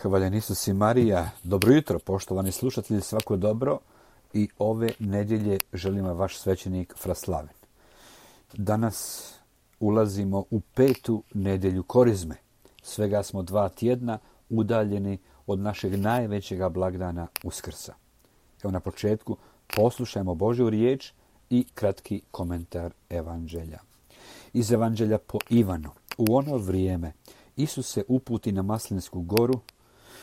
Hvaljen Isus i Marija. Dobro jutro, poštovani slušatelji, svako dobro. I ove nedjelje želim vaš svećenik Fraslaven. Danas ulazimo u 5. nedjelju Korizme. Svega smo 2 tjedna udaljeni od našeg najvećega blagdana Uskrsa. Evo na početku poslušajmo Božju riječ i kratki komentar evanđelja. Iz evanđelja po Ivanu. U ono vrijeme Isus se uputi na Maslinsku goru.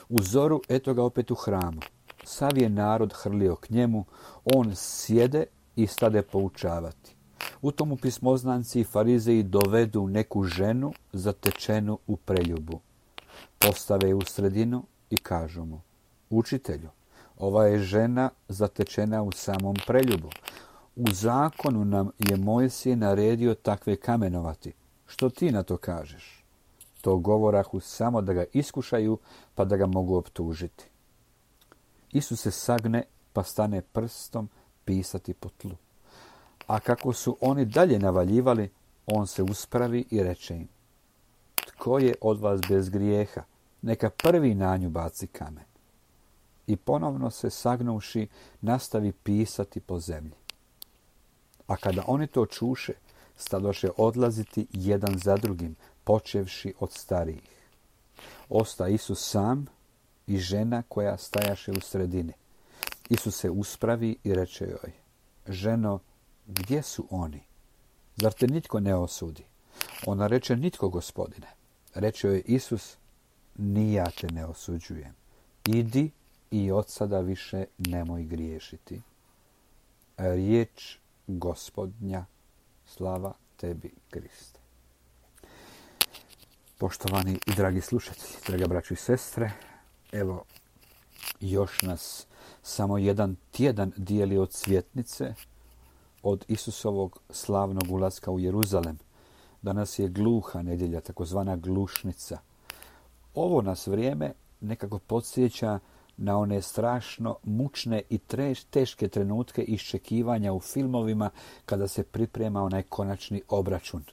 U zoru eto ga opet u hramu. Sav je narod hrlio k njemu, on sjede i stade poučavati. U tomu pismoznanci i farizeji dovedu neku ženu zatečenu u preljubu. Postave je u sredinu i kažu mu: Učitelju, ova je žena zatečena u samom preljubu. U zakonu nam je Mojsije naredio takve kamenovati. Što ti na to kažeš? To govorahu samo da ga iskušaju, pa da ga mogu optužiti. Isus se sagne, pa stane prstom pisati po tlu. A kako su oni dalje navaljivali, on se uspravi i reče im: Tko je od vas bez grijeha? Neka prvi na nju baci kamen. I ponovno se sagnuvši, nastavi pisati po zemlji. A kada oni to čuše, stadoše odlaziti jedan za drugim, počevši od starijih. Osta Isus sam i žena koja stajaše u sredini. Isus se uspravi i reče joj: Ženo, gdje su oni? Zar te nitko ne osudi? Ona reče: Nitko, Gospodine. Reče joj Isus: Ni ja te ne osuđujem. Idi i od sada više nemoj griješiti. Riječ Gospodnja. Slava tebi, Kriste. Poštovani i dragi slušatelji, draga braćo i sestre, evo još nas samo jedan tjedan dijeli od svjetnice, od Isusovog slavnog ulaska u Jeruzalem. Danas je gluha nedjelja, takozvana glušnica. Ovo nas vrijeme nekako podsjeća na one strašno mučne i teške trenutke iščekivanja u filmovima kada se priprema onaj konačni obračun.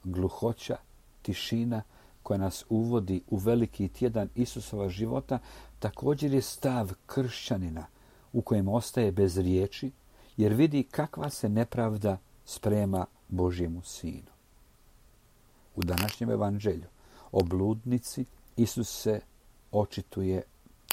Gluhoća, tišina koja nas uvodi u veliki tjedan Isusova života također je stav kršćanina u kojem ostaje bez riječi jer vidi kakva se nepravda sprema Božjemu sinu. U današnjem evanđelju o bludnici Isus se očituje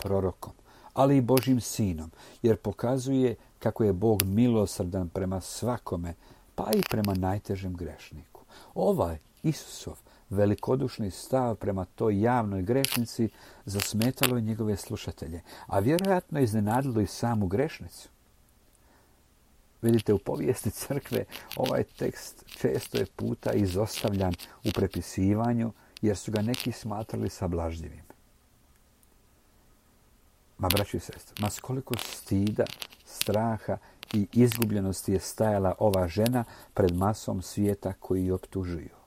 prorokom, ali i Božjim sinom, jer pokazuje kako je Bog milosrdan prema svakome, pa i prema najtežem grešniku. Ovaj Isusov velikodušni stav prema toj javnoj grešnici zasmetalo je njegove slušatelje, a vjerojatno iznenadilo i samu grešnicu. Vidite, u povijesti crkve ovaj tekst često je puta izostavljan u prepisivanju, jer su ga neki smatrali sablažljivim. Ma, braćo i sestre, ma s koliko stida, straha i izgubljenosti je stajala ova žena pred masom svijeta koji ju optužuju.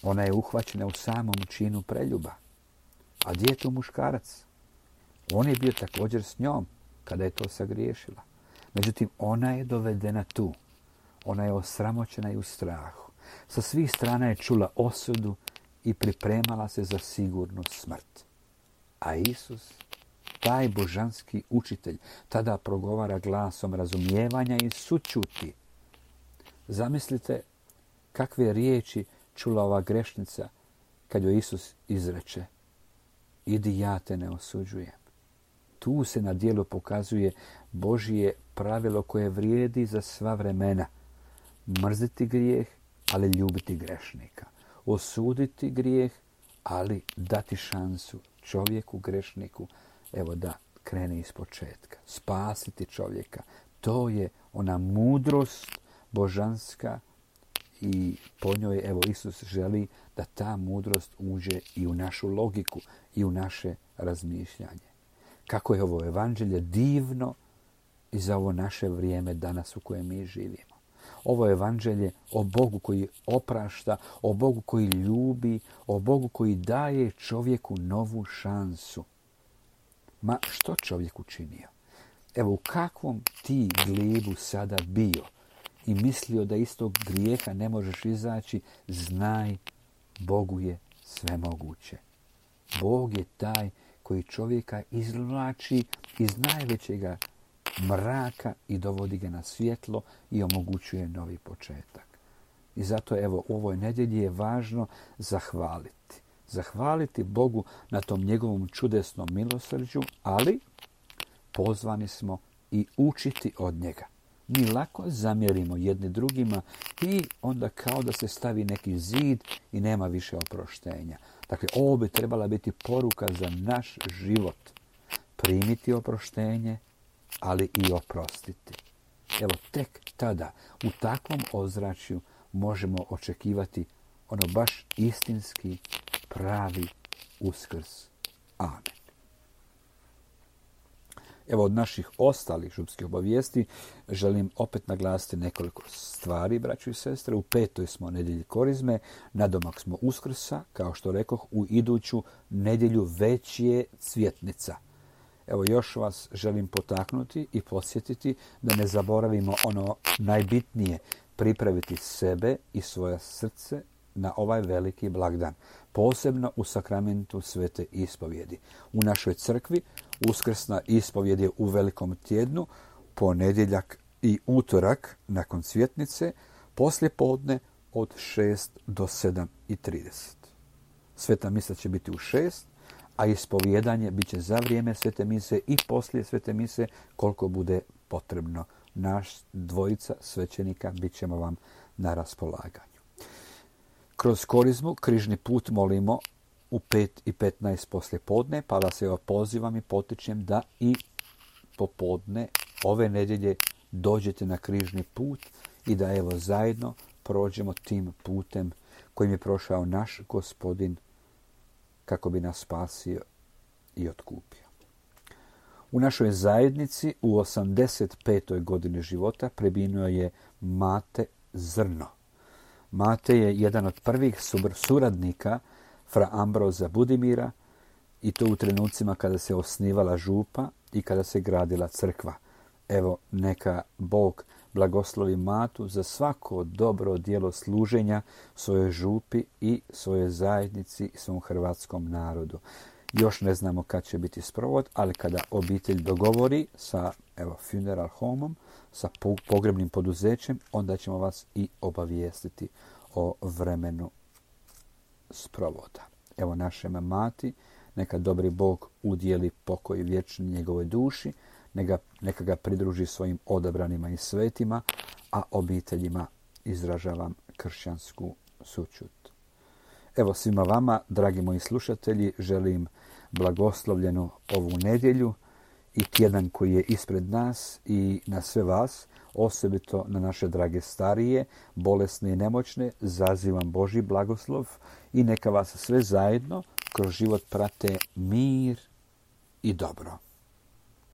Ona je uhvaćena u samom činu preljuba. A gdje je tu muškarac? On je bio također s njom kada je to sagriješila. Međutim, ona je dovedena tu. Ona je osramoćena i u strahu. Sa svih strana je čula osudu i pripremala se za sigurnu smrt. A Isus, taj božanski učitelj, tada progovara glasom razumijevanja i sućuti. Zamislite kakve riječi čula ova grešnica kad joj Isus izreče: Idi, ja te ne osuđujem. Tu se na djelu pokazuje Božje pravilo koje vrijedi za sva vremena. Mrziti grijeh, ali ljubiti grešnika. Osuditi grijeh, ali dati šansu čovjeku, grešniku, evo da krene iz početka. Spasiti čovjeka. To je ona mudrost božanska i po njoj, evo, Isus želi da ta mudrost uđe i u našu logiku i u naše razmišljanje. Kako je ovo evanđelje divno i za ovo naše vrijeme danas u kojem mi živimo. Ovo je evanđelje o Bogu koji oprašta, o Bogu koji ljubi, o Bogu koji daje čovjeku novu šansu. Ma što čovjek učinio? Evo, u kakvom ti glibu sada bio i mislio da iz tog grijeha ne možeš izaći, znaj, Bogu je sve moguće. Bog je taj koji čovjeka izvlači iz najvećega mraka i dovodi ga na svjetlo i omogućuje novi početak. I zato evo u ovoj nedjelji je važno zahvaliti. Zahvaliti Bogu na tom njegovom čudesnom milosrđu, ali pozvani smo i učiti od njega. Mi lako zamjerimo jedni drugima i onda kao da se stavi neki zid i nema više oproštenja. Dakle, ovo bi trebala biti poruka za naš život. Primiti oproštenje, ali i oprostiti. Evo, tek tada, u takvom ozračju možemo očekivati ono baš istinski, pravi Uskrs. Amen. Evo, od naših ostalih župskih obavijesti želim opet naglasiti nekoliko stvari, braćo i sestre. U 5. smo nedjelji Korizme, nadomak smo Uskrsa, kao što rekoh, u iduću nedjelju već je Cvjetnica. Evo, još vas želim potaknuti i podsjetiti da ne zaboravimo ono najbitnije, pripraviti sebe i svoje srce na ovaj veliki blagdan, posebno u sakramentu svete ispovjedi. U našoj crkvi uskrsna ispovjed je u Velikom tjednu, ponedjeljak i utorak nakon Cvjetnice, poslijepodne od 6 do 7:30. Sveta misa će biti u 6, a ispovjedanje bit će za vrijeme svete mise i poslije svete mise koliko bude potrebno. Naš dvojica svećenika bit ćemo vam na raspolaganju. Kroz Korizmu križni put molimo u 5:15 poslije podne, pa vas evo pozivam i potičem da i popodne ove nedjelje dođete na križni put i da evo zajedno prođemo tim putem kojim je prošao naš Gospodin kako bi nas spasio i otkupio. U našoj zajednici u 85. godini života preminuo je Mate Zrno. Mate je jedan od prvih suradnika fra Ambroza Budimira i to u trenucima kada se osnivala župa i kada se gradila crkva. Evo, neka Bog blagoslovi Matu za svako dobro djelo služenja svojoj župi i svojoj zajednici i svom hrvatskom narodu. Još ne znamo kad će biti sprovod, ali kada obitelj dogovori sa funeral homom, sa pogrebnim poduzećem, onda ćemo vas i obavijestiti o vremenu sprovoda. Evo našem Mati, neka dobri Bog udjeli pokoj vječni njegovoj duši, neka ga pridruži svojim odabranima i svetima, a obiteljima izražavam kršćansku sućut. Evo svima vama, dragi moji slušatelji, želim blagoslovljenu ovu nedjelju i tjedan koji je ispred nas i na sve vas, osobito na naše drage starije, bolesne i nemoćne, zazivam Božji blagoslov i neka vas sve zajedno kroz život prate mir i dobro.